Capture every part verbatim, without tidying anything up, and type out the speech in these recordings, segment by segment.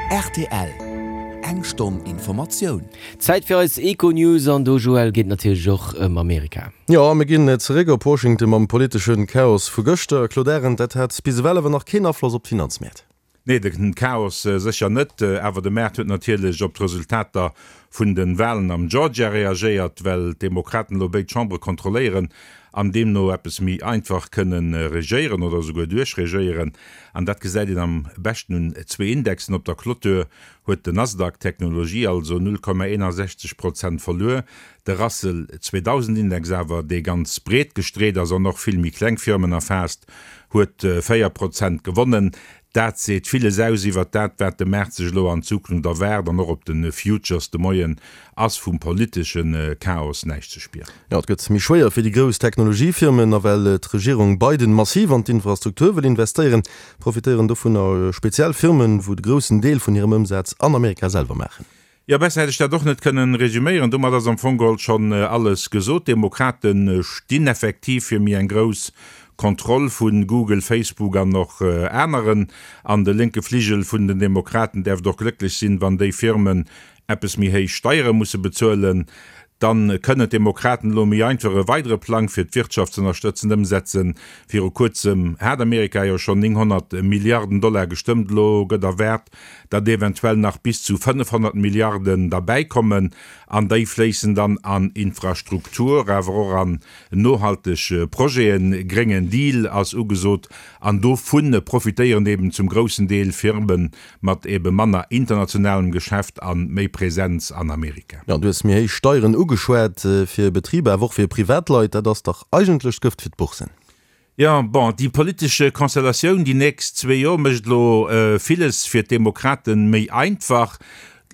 R T L, Eng Stonn Informatioun. Zäit fir eis Econews an do, Joël, geet natierlech och ëm Amerika. Jo, mir ginn zeréck op Washington mam politesche Chaos vu gëschter. Claude Arend, dat hat bis ewell awer nach keen Afloss op d'Finanzmäert. Nee, de Chaos sécher net, awer de Maart huet natierlech op d'Resultater vun de Walen am Georgia reagéiert, well d'Demokraten elo béid Chambere kontrolléieren an deemno eppes méi einfach kënne regéieren oder esouguer duerchregéieren. An dat gesäit een am beschten un zwee Indexen. Op der Clôture huet den Nasdaq, Technologie also, null Komma eenasechzeg Prozent verluer, de Russell zweedausend Index awer, dee ganz breet gestreet ass an och vill méi kleng Firmen erfaasst, huet véier Prozent gewonnen. Dat seet villes aus iwwert dat, wat de Maart sech elo an Zukunft erwaart, an och op de Futures de Moien ass vum politesche Chaos näischt ze spieren. Jo, et gëtt méi schwéier fir déi grouss Technologiefirmen, a well d'Regierung Biden massiv an d'Infrastruktur wëll investéieren, profitéieren dovunner speziell Firmen, wou de groussen Deel vun hirem Ëmsaz an Amerika selwer maachen. Jo, besser hätt ech dat och net kënnen resüméieren. Domat ass am Fong geholl schonn alles gesot. D'Demokrate stinn effektiv fir méi eng grouss Kontroll vu Google, Facebook an och aneren. An de lénke Fligel vun den Demokraten däerft och glécklech sinn, wann déi Firmen eppes méi héich Steiere musse bezuelen. Dann kënnen d'Demokraten elo méi einfach e weidere Plang fir d'Wirtschaft z'ënnerstëtzen ëmsetzen. Viru kuerzem hat Amerika jo schonn nénghonnert Milliarden Dollar gestëmmt. Elo gëtt erwaart, datt eventuell nach bis zu fënnefhonnert Milliarden derbäi kommen. An déi fléissen dann an Infrastruktur, awer och an nohalteg Projeten. Gréngen Deal ass ugesot an dovu profitéieren eben zum groussen Deel Firme mat ebe manner internationalem Geschäft a méi Präsenz an Amerika. Jo, du hues méi héich Steieren ugeschwat fir Betriber, awer och fir Privatleit. Dat ass dach eigentlech Gëft fir d'Boursen. Jo, bon, déi politesch Konstellatioun déi nächst zwee Joer mécht elo villes fir d'Demokrate méi einfach.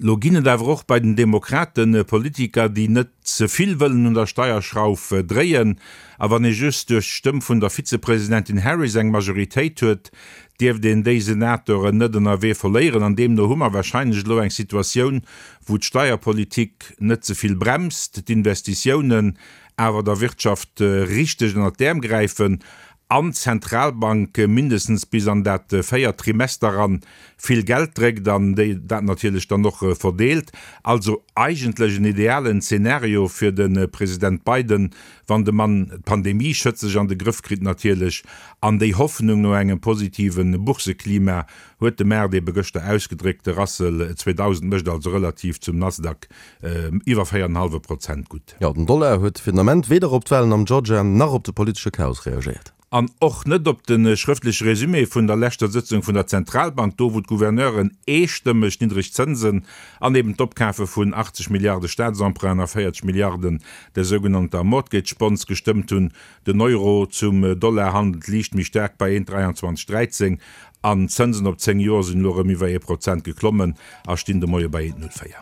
Elo ginn et awer och bei den Demokrate Politiker, déi net ze vill wëllen un der Steierschrauf dréien. A wann ee just duerch d'Stëmm vun der Vizepresidentin Harris eng Majoritéit huet, dierft een déi Senatoren net ënnerwee verléieren. An deemno hu mer warscheinlech elo eng Situatioun, wou d'Steierpolitik net ze vill bremst, d'Investitiounen awer der Wirtschaft richteg ënnert d'Äerm gräifen an d'Zentralbank mindestens bis an dat véiert Trimester eran vill Geld dréckt an déi dat natierlech dann och verdeelt. Also eigentlech en idealen Zeenario fir de President Biden, wann de Mann d'Pandemie schëtzeg an de Grëff kritt natierlech. An déi Hoffnung no engem positive Bourseklima huet de Maart ebe gëschter ausgedréckt. De Russell zweedausend mécht also relativ zum Nasdaq iwwer véier an en hallwe Prozent gutt. Jo, den Dollar huet fir den Ament weder op d'Walen am Georgia nach op de politesche Chaos reagéiert. An och net op de schrëftleche Resumé vun der leschter Sëtzung vun der Zentralbank, do wou d'Gouverneuren eestëmmeg niddreg Zënsen an eben d'Opkafe vun achtzeg Milliarde Staatsemprunten a véierzeg Milliarden der sougenannter Mortgage Bonds gestëmmt hunn. Den Euro zum Dollar handelt liicht méi staark bei eent dräianzwanzeg dräizéng an d'Zënsen op zéng Joer sinn elo erëm iwwer ee Prozent geklommen a stinn de Moie bei eent null véier.